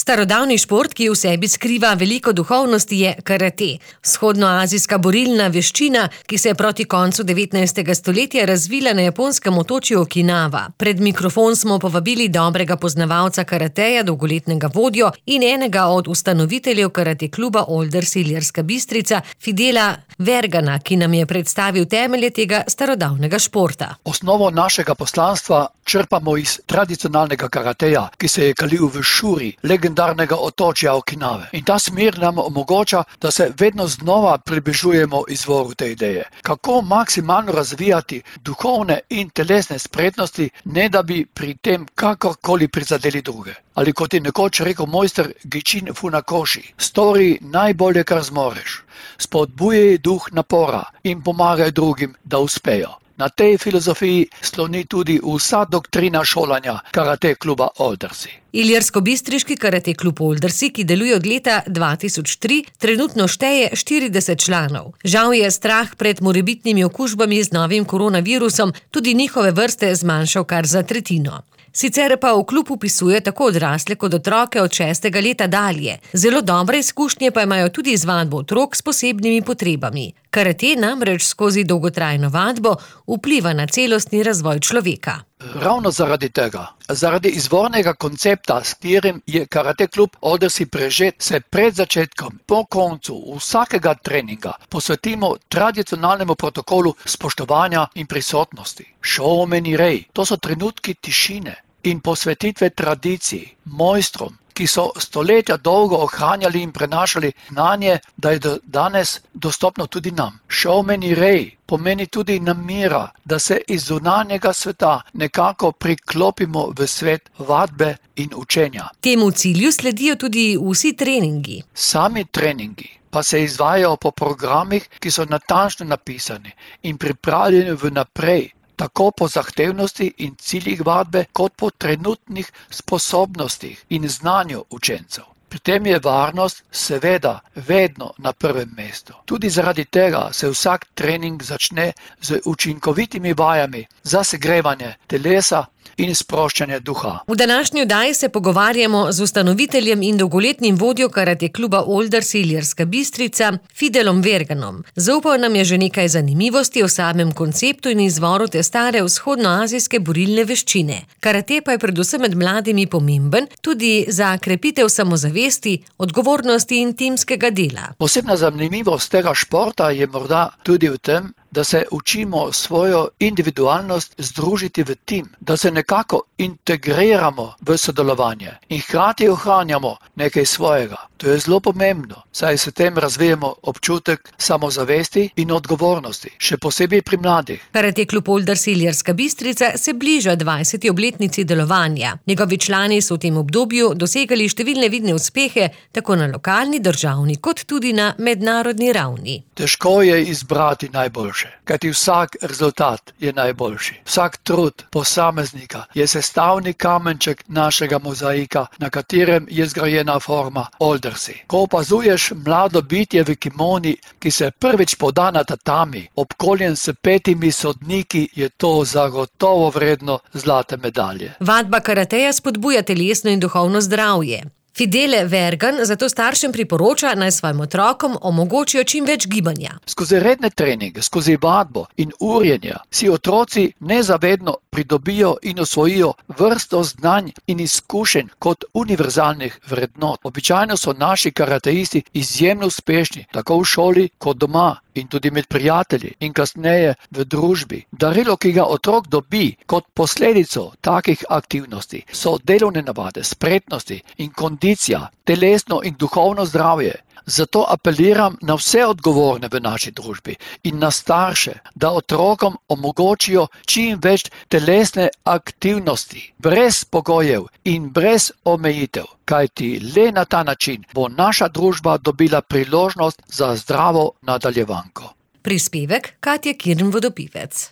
Starodavni šport, ki v sebi skriva veliko duhovnosti, je karate. Vzhodnoazijska borilna veščina, ki se je proti koncu 19. stoletja razvila na japonskem otočju Okinawa. Pred mikrofon smo povabili dobrega poznavalca karateja, dolgoletnega vodjo in enega od ustanoviteljev karate kluba Olders Ilirska Bistrica, Fidela Vergana, ki nam je predstavil temelje tega starodavnega športa. Osnovo našega poslanstva črpamo iz tradicionalnega karateja, ki se je kalil v Šuri, legendarnega otočja Okinawe. In ta smer nam omogoča, da se vedno znova približujemo izvoru te ideje. Kako maksimalno razvijati duhovne in telesne spretnosti, ne da bi pri tem kakorkoli prizadeli druge. Ali kot je nekoč rekel mojster Gichin Funakoshi, stori najbolje, kar zmoreš. Spodbujaj duh napora in pomagaj drugim, da uspejo. Na tej filozofiji sloni tudi vsa doktrina šolanja karate kluba Oldersi. Ilirsko-bistriški karate klub Oldersi, ki deluje od leta 2003, trenutno šteje 40 članov. Žal je strah pred morebitnimi okužbami z novim koronavirusom tudi njihove vrste zmanjšal kar za tretjino. Sicer pa v klub vpisuje tako odrasle kot otroke od 6. leta dalje. Zelo dobre izkušnje pa imajo tudi z vadbo otrok s posebnimi potrebami. Karate namreč skozi dolgotrajno vadbo vpliva na celostni razvoj človeka. Ravno zaradi tega, zaradi izvornega koncepta, s katerim je karate klub Oldersi prežet, se pred začetkom, po koncu vsakega treninga posvetimo tradicionalnemu protokolu spoštovanja in prisotnosti. Shōmeni rei, to so trenutki tišine in posvetitve tradiciji, mojstrom, ki so stoletja dolgo ohranjali in prenašali znanje, da je danes dostopno tudi nam. Shōmeni rei pomeni tudi namera, da se iz zunanjega sveta nekako priklopimo v svet vadbe in učenja. Temu cilju sledijo tudi vsi treningi. Sami treningi pa se izvajajo po programih, ki so natančno napisani in pripravljeni vnaprej, tako po zahtevnosti in ciljih vadbe, kot po trenutnih sposobnostih in znanju učencev. Pri tem je varnost seveda vedno na prvem mestu. Tudi zaradi tega se vsak trening začne z učinkovitimi vajami za segrevanje telesa in sproščanje duha. V današnji oddaji se pogovarjamo z ustanoviteljem in dolgoletnim vodjo karate kluba Olders Ilirska Bistrica, Fidelom Verganom. Zaupal nam je že nekaj zanimivosti o samem konceptu in izvoru te stare vzhodnoazijske borilne veščine. Karate pa je predvsem med mladimi pomemben tudi za krepitev samozavesti, odgovornosti in timskega dela. Posebna zanimivost tega športa je morda tudi v tem, da se učimo svojo individualnost združiti v tim, da se nekako integriramo v sodelovanje in hkrati ohranjamo nekaj svojega. To je zelo pomembno, saj s tem razvijamo občutek samozavesti in odgovornosti, še posebej pri mladih. Karate klub Olders Ilirska Bistrica se bliža 20. obletnici delovanja. Njegovi člani so v tem obdobju dosegali številne vidne uspehe, tako na lokalni, državni, kot tudi na mednarodni ravni. Težko je izbrati najboljše, kajti vsak rezultat je najboljši. Vsak trud posameznika je sestavni kamenček našega mozaika, na katerem je zgrajena forma Oldersi. Ko opazuješ mlado bitje v kimoni, ki se prvič poda na tatami, obkoljen s 5 sodniki, je to zagotovo vredno zlate medalje. Vadba karateja spodbuja telesno in duhovno zdravje. Fidele Vergan zato staršem priporoča, naj svojim otrokom omogočijo čim več gibanja. Skozi redne treninge, skozi vadbo in urjenja si otroci nezavedno pridobijo in osvojijo vrsto znanj in izkušenj kot univerzalnih vrednot. Običajno so naši karateisti izjemno uspešni, tako v šoli kot doma in tudi med prijatelji in kasneje v družbi. Darilo, ki ga otrok dobi kot posledico takih aktivnosti, so delovne navade, spretnosti in kondicija, telesno in duhovno zdravje. Zato apeliram na vse odgovorne v naši družbi in na starše, da otrokom omogočijo čim več telesne aktivnosti, brez pogojev in brez omejitev, kajti le na ta način bo naša družba dobila priložnost za zdravo nadaljevanko. Prispevek Katje Kirn Vodopivec.